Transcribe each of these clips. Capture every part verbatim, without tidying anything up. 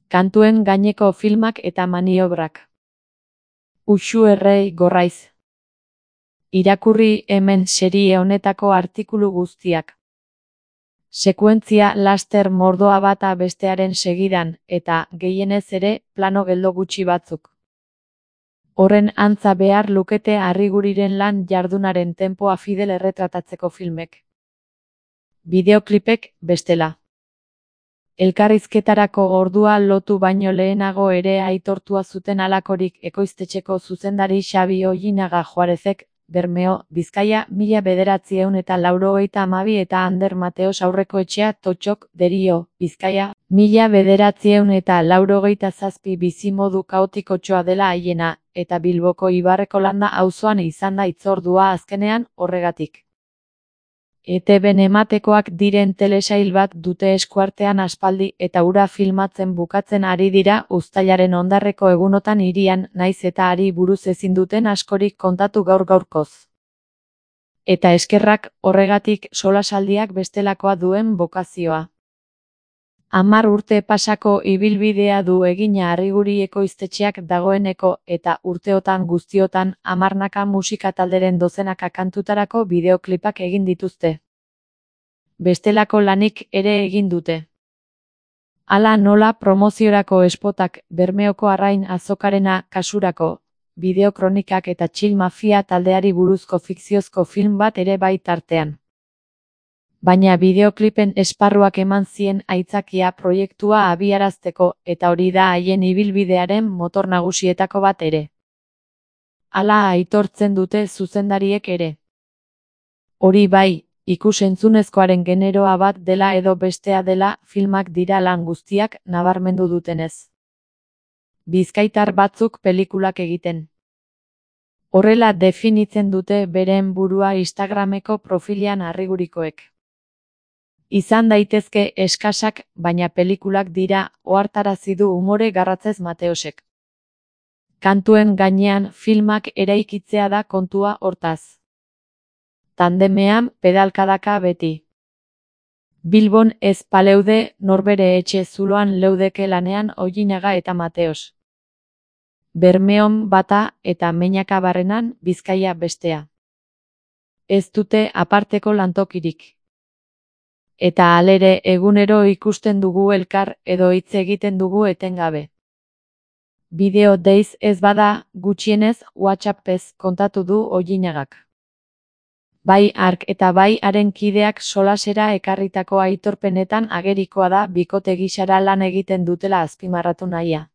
Kantuen gaineko filmak eta maniobrak. Uxu errei gorraiz. Irakurri hemen serie honetako artikulu guztiak. Sekuentzia laster mordoa bata bestearen segidan, eta, gehienez ere, plano geldo gutxi batzuk. Horren antza behar lukete Arriguriren lan jardunaren tempoa fidel erretratatzeko filmek. Bideoklipek, bestela. Elkarrizketarako ordua lotu baino lehenago ere aitortua zuten halakorik ekoiztetxeko zuzendari Xabi Ollinaga Juarezek, Bermeo, Bizkaia, mila bederatziehun eta laurogeita hamabi eta Ander Mateos Aurrekoetxea Totxok, Derio, Bizkaia, mila bederatziehun eta laurogeita zazpi bizimodu kaotikotxoa dela haiena, eta Bilboko Ibarreko Landa auzoan izan da hitzordua azkenean, horregatik. E Te Ben ematekoak diren telesail bat dute eskuartean aspaldi eta hura filmatzen bukatzen ari dira uztailaren hondarreko egunotan hirian naiz eta ari buruz ezin duten askorik kontatu gaur gaurkoz. Eta eskerrak, horregatik solasaldiak bestelakoa duen bokazioa. Hamar urte pasako ibilbidea du egina Arriguri ekoiztetxeak dagoeneko eta urteotan guztiotan hamarnaka musika talderen dozenaka kantutarako bideoklipak egin dituzte. Bestelako lanik ere egin dute. Hala nola promoziorako espotak, Bermeoko Arrain Azokarena kasurako, bideokronikak eta Chill Mafia taldeari buruzko fikziozko film bat ere bai tartean. Baina bideoklipen esparruak eman zien aitzakia proiektua abiarazteko eta hori da haien ibilbidearen motor nagusietako bat ere. Hala aitortzen dute zuzendariek ere. Hori bai, ikus-entzunezkoaren generoa bat dela edo bestea dela filmak dira lan guztiak nabarmendu dutenez. Bizkaitar batzuk pelikulak egiten. Horrela definitzen dute beren burua Instagrameko profilian Arrigurikoek. Izan daitezke eskasak, baina pelikulak dira, ohartarazi du umore garratzez Mateosek. Kantuen gainean filmak eraikitzea da kontua hortaz. Tandemean, pedalkadaka beti. Bilbon ez paleude, norbere etxe zuloan leudeke lanean Ollinaga eta Mateos. Bermeon bata eta Meñaka barrenan, Bizkaia bestea. Ez dute aparteko lantokirik. Eta halere egunero ikusten dugu elkar edo hitz egiten dugu etengabe. Bideo deiz ez bada, gutxienez WhatsAppez kontatu du Ollinagak. Bai hark eta bai haren kideak solasera ekarritako aitorpenetan agerikoa da bikote gisara lan egiten dutela azpimarratu nahia.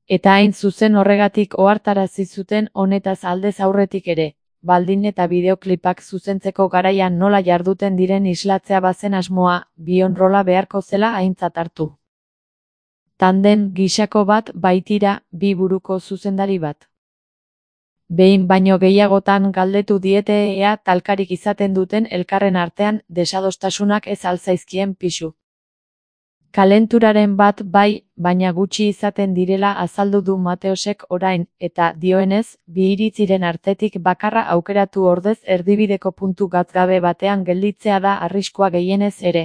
Eta hain zuzen horregatik ohartarazi zuten honetaz aldez aurretik ere. Baldin eta bideoklipak zuzentzeko garaian nola jarduten diren islatzea bazen asmoa, bion rola beharko zela aintzat hartu. Tanden gisako bat baitira, bi buruko zuzendari bat. Behin baino gehiagotan galdetu diete ea talkarik izaten duten elkarren artean desadostasunak ez alzaizkien pisu. Kalenturaren bat bai, baina gutxi izaten direla azaldu du Mateosek orain, eta dioenez, bi iritziren artetik bakarra aukeratu ordez erdibideko puntu gatzgabe batean gelditzea da arriskua gehienez ere.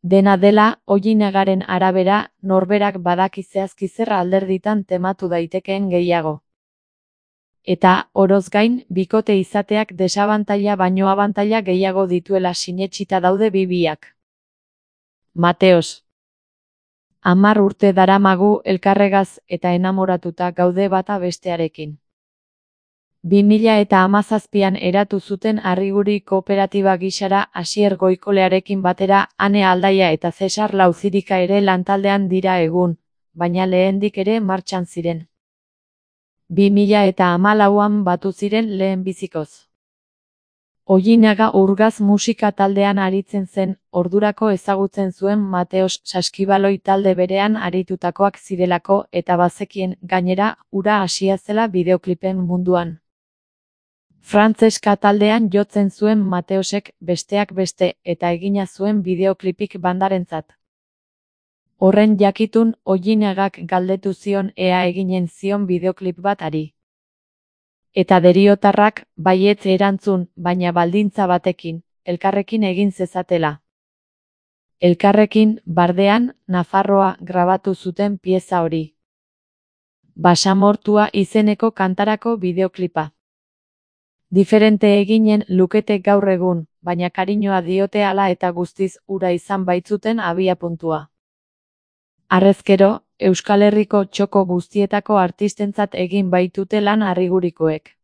Dena dela, Ollinagaren arabera, norberak badaki zehazki zer alderditan tematu daitekeen gehiago. Eta, oroz gain, bikote izateak desabantaila baino abantaila gehiago dituela sinetsita daude bi biak. Mateos. Hamar urte daramagu elkarregaz eta enamoratuta gaude bata bestearekin. Bi mila eta hamazazpian eratu zuten Arriguri kooperatiba gisara Asier Goikolearekin batera Ane Aldaia eta Cesar Lauzirika ere lantaldean dira egun, baina lehendik ere martxan ziren. Bi mila eta hamalauan batu ziren lehen bizikoz. Ollinaga Urgaz musika taldean aritzen zen, ordurako ezagutzen zuen Mateos saskibaloi talde berean aritutakoak zirelako eta bazekien, gainera, hura hasia zela bideoklipen munduan. Frantzeska taldean jotzen zuen Mateosek, besteak beste, eta egina zuen bideoklipik bandarentzat. Horren jakitun, Ollinagak galdetu zion ea eginen zion bideoklip bat ari. Eta deriotarrak, baietz erantzun, baina baldintza batekin, elkarrekin egin zezatela. Elkarrekin, bardean, Nafarroa grabatu zuten pieza hori. Basamortua izeneko kantarako bideoklipa. Diferente eginen lukete gaur egun, baina kariñoa diote hala eta guztiz ura izan baitzuten abiapuntua. Harrezkero, Euskal Herriko txoko guztietako artistentzat egin baitute lan harrigurikoek.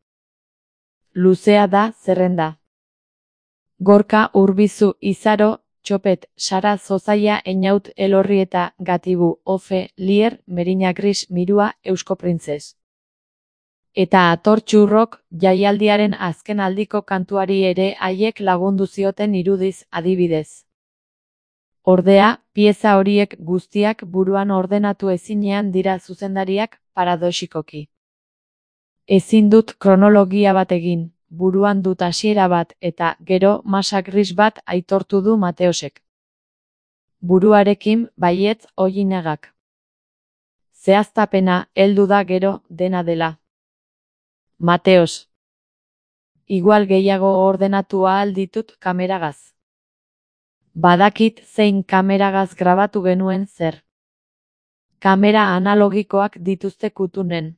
Luzea da zerrenda. Gorka, Urbizu, Izaro, Txopet, Sara, Zozaia, Einaut, Elorrieta, Gatibu, Ofe, Lier, Merina Gris, Mirua, Eusko Printzes. Eta Atortxurrok jaialdiaren azken aldiko kantuari ere haiek lagundu zioten irudiz adibidez. Ordea, pieza horiek guztiak buruan ordenatu ezinean dira zuzendariak paradoxikoki. Ezin dut kronologia bat egin, buruan dut hasiera bat eta gero masa gris bat aitortu du Mateosek. Buruarekin baietz Ollinagak. Zehaztapena heldu da gero dena dela. Mateos. Igual gehiago ordenatu ahal ditut kameragaz. Badakit zein kameragaz grabatu genuen zer. Kamera analogikoak dituzte kutunen.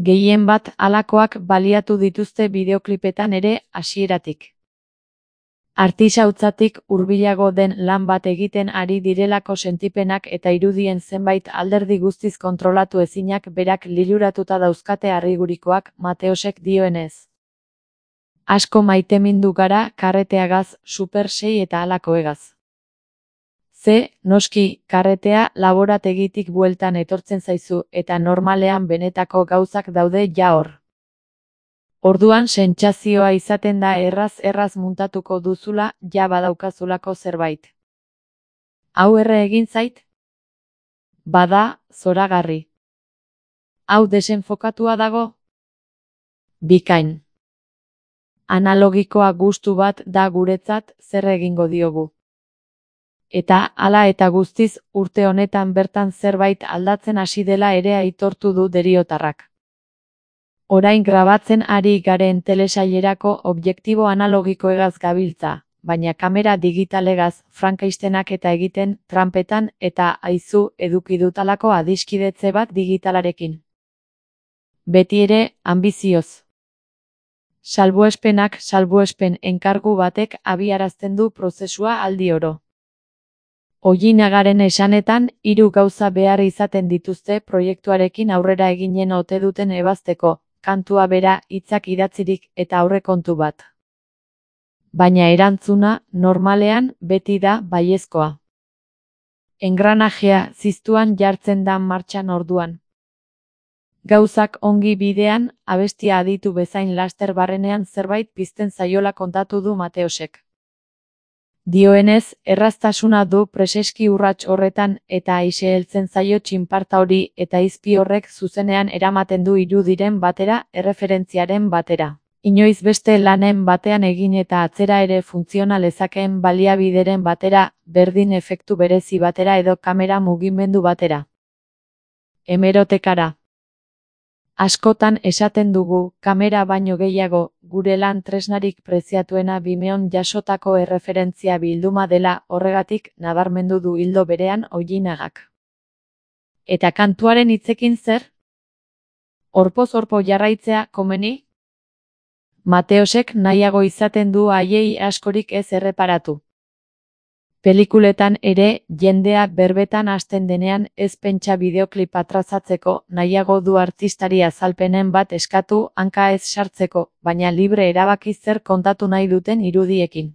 Gehien bat halakoak baliatu dituzte bideoklipetan ere hasieratik. Artisautzatik hurbilago den lan bat egiten ari direlako sentipenak eta irudien zenbait alderdi guztiz kontrolatu ezinak berak liluratuta dauzkate harrigurikoak Mateosek dioenez. Asko maitemindu gara karreteagaz, super sei eta halakoegaz. Ze, noski, karretea laborategitik bueltan etortzen zaizu eta normalean benetako gauzak daude ja hor. Orduan sentsazioa izaten da erraz-erraz muntatuko duzula ja badaukazulako zerbait. Hau erre egin zait? Bada, zoragarri. Hau desenfokatua dago? Bikain. Analogikoa gustu bat da guretzat zer egingo diogu. Eta hala eta guztiz urte honetan bertan zerbait aldatzen hasi dela ere aitortu du deriotarrak. Orain grabatzen ari garen telesailerako objektibo analogikoegaz gabiltza, baina kamera digitalegaz Frankeistenak eta egiten tranpetan eta aizu eduki dutalako adiskidetze bat digitalarekin. Beti ere, anbizioz. Salbuespenak salbuespen enkargu batek abiarazten du prozesua aldi oro. Ollinagaren esanetan, hiru gauza behar izaten dituzte proiektuarekin aurrera eginen ote duten ebazteko, kantua bera, hitzak idatzirik eta aurrekontu bat. Baina erantzuna, normalean, beti da baiezkoa. Engranajea ziztuan jartzen da martxan orduan. Gauzak ongi bidean, abestia aditu bezain laster barrenean zerbait pizten zaiola kontatu du Mateosek. Dioenez, erraztasuna du preseski urrats horretan eta aise heltzen zaio txinparta hori eta izpi horrek zuzenean eramaten du irudiren batera, erreferentziaren batera. Inoiz beste lanen batean egin eta atzera ere funtziona lezakeen baliabideren batera, berdin efektu berezi batera edo kamera mugimendu batera. Hemerotekara. Askotan esaten dugu, kamera baino gehiago, gure lan tresnarik preziatuena Vimeon jasotako erreferentzia bilduma dela horregatik nabarmendu du hildo berean Ollinagak. Eta kantuaren hitzekin zer? Orpoz-orpo jarraitzea komeni? Mateosek nahiago izaten du haiei askorik ez erreparatu. Pelikuletan ere, jendea berbetan hasten denean ez pentsa bideoklipa trazatzeko, nahiago du artistari azalpenen bat eskatu hanka ez sartzeko, baina libre erabaki zer kontatu nahi duten irudiekin.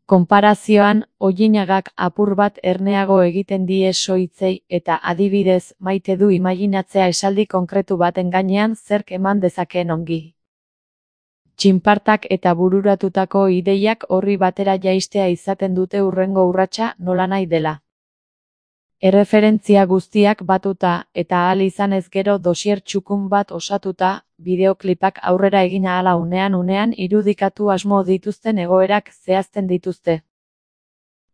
Konparazioan, Ollinagak apur bat erneago egiten die soitzei eta adibidez maite du imaginatzea esaldi konkretu baten gainean zerk eman dezakeen ongi. Txinpartak eta bururatutako ideiak horri batera jaistea izaten dute hurrengo urratsa nolanahi dela. Erreferentzia guztiak batuta eta ahal izanez gero dosier txukun bat osatuta, bideoklipak aurrera egin ahala unean unean irudikatu asmo dituzten egoerak zehazten dituzte.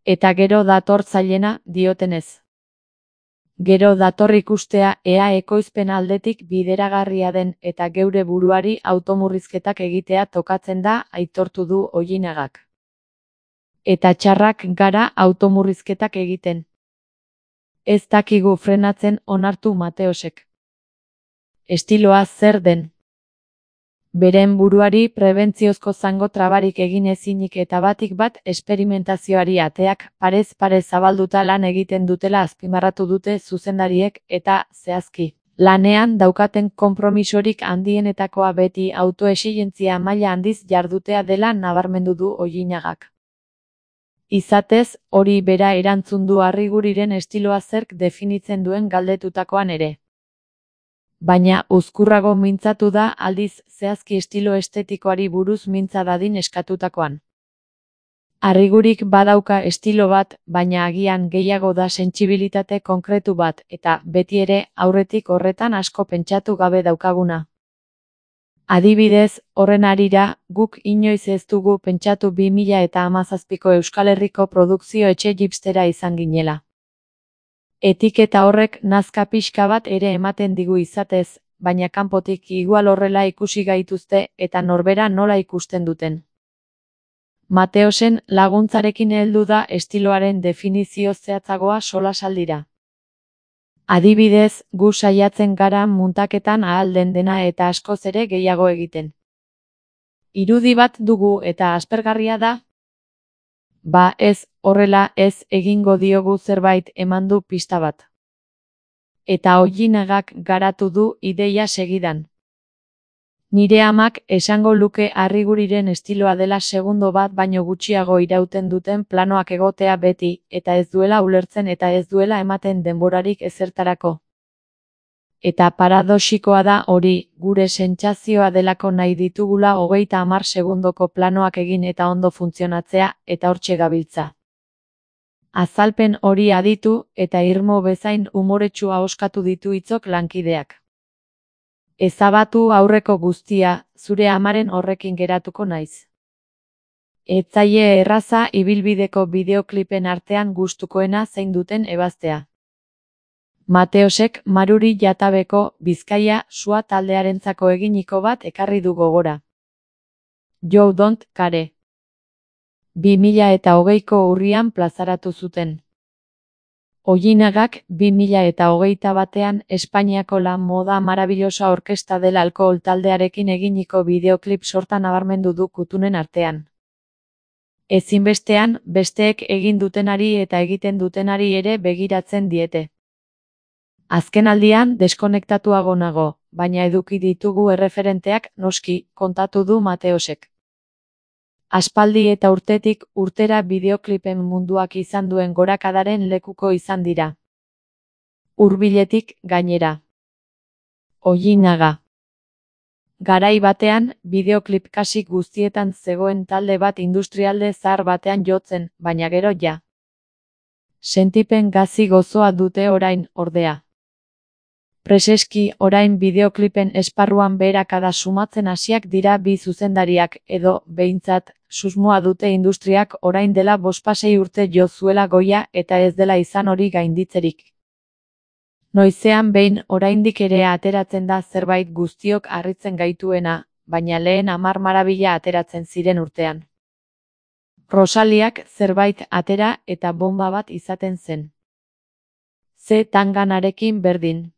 Eta gero dator zailena, diotenez. Gero dator ikustea ea ekoizpen aldetik bideragarria den eta geure buruari automurrizketak egitea tokatzen da aitortu du Ollinagak. Eta txarrak gara automurrizketak egiten. Ez dakigu frenatzen, onartu Mateosek. Estiloa zer den? Beren buruari prebentziozko zango trabarik egin ezinik eta batik bat esperimentazioari ateak parez pare zabalduta lan egiten dutela azpimarratu dute zuzendariek eta, zehazki, lanean daukaten konpromisorik handienetakoa beti autoexigentzia maila handiz jardutea dela nabarmendu du Ollinagak. Izatez, hori bera erantzun du Arriguriren estiloa zerk definitzen duen galdetutakoan ere. Baina uzkurrago mintzatu da aldiz zehazki estilo estetikoari buruz mintza dadin eskatutakoan. Arrigurik badauka estilo bat, baina agian gehiago da sentsibilitate konkretu bat eta, beti ere, aurretik horretan asko pentsatu gabe daukaguna. Adibidez, horren harira, guk inoiz ez dugu pentsatu bi mila eta hamazazpiko Euskal Herriko produkzio etxe gipstera izan ginela. Etiketa horrek nazka pixka bat ere ematen digu izatez, baina kanpotik igual horrela ikusi gaituzte eta norbera nola ikusten duten. Mateosen laguntzarekin heldu da estiloaren definizio zehatzagoa solasaldira. Adibidez, gu saiatzen gara muntaketan ahal den dena eta askoz ere gehiago egiten. Irudi bat dugu eta aspergarria da? Ba ez, horrela ez egingo diogu zerbait eman du pista bat. Eta Ollinagak garatu du ideia segidan. Nire amak esango luke Arriguriren estiloa dela segundo bat baino gutxiago irauten duten planoak egotea beti, eta ez duela ulertzen eta ez duela ematen denborarik ezertarako. Eta paradoxikoa da hori, gure sentsazioa delako nahi ditugula hogeita hamar segundoko planoak egin eta ondo funtzionatzea, eta hortxe gabiltza. Azalpen hori aditu, eta irmo bezain umoretsua oskatu ditu hitzok lankideak. Ezabatu aurreko guztia, zure amaren horrekin geratuko naiz. Ez zaie erraza ibilbideko bideoklipen artean gustukoena zein duten ebaztea. Mateosek Maruri Jatabeko Bizkaia sua taldearentzako eginiko bat ekarri du gogora. You Don't Care. bi mila eta hogeiko urrian plazaratu zuten. Ollinagak bi mila eta hogeita batean Espainiako La Moda Maravillosa Orkesta del Alkohol taldearekin eginiko bideoklip sorta nabarmendu du kutunen artean. Ezinbestean, besteek egin dutenari eta egiten dutenari ere begiratzen diete. Azkenaldian deskonektatuago nago, baina eduki ditugu erreferenteak noski, kontatu du Mateosek. Aspaldi eta urtetik urtera bideoklipen munduak izan duen gorakadaren lekuko izan dira. Hurbiletik gainera. Ollinaga. Garai batean, bideoklip kasik guztietan zegoen talde bat industrialde zahar batean jotzen, baina gero ja. Sentipen gazi gozoa dute orain, ordea. Preseski orain bideoklipen esparruan beherakada sumatzen hasiak dira bi zuzendariak edo, behintzat, susmoa dute industriak orain dela bospasei urte jo zuela goia eta ez dela izan hori gainditzerik. Noizean behin oraindik ere ateratzen da zerbait guztiok harritzen gaituena, baina lehen hamar marabila ateratzen ziren urtean. Rosaliak zerbait atera eta bomba bat izaten zen. Ze tanganarekin berdin.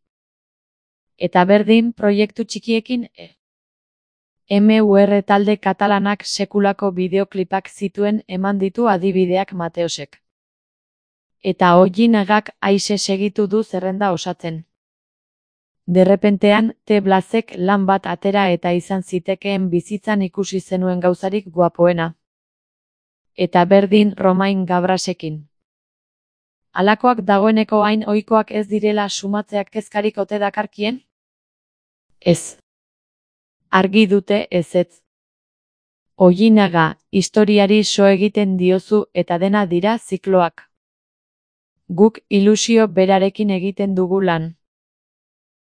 Eta berdin proiektu txikiekin e. M U R talde katalanak sekulako bideoklipak zituen eman ditu adibideak Mateosek. Eta Ollinagak aise segitu du zerrenda osatzen. Derrepentean, T. Blazek lan bat atera eta izan zitekeen bizitzan ikusi zenuen gauzarik guapoena. Eta berdin Romain Gabrasekin. Halakoak dagoeneko hain ohikoak ez direla sumatzeak kezkarik ote dakarkien? Ez. Argi dute ezetz. Ollinaga, historiari so egiten diozu eta dena dira zikloak. Guk ilusio berarekin egiten dugu lan.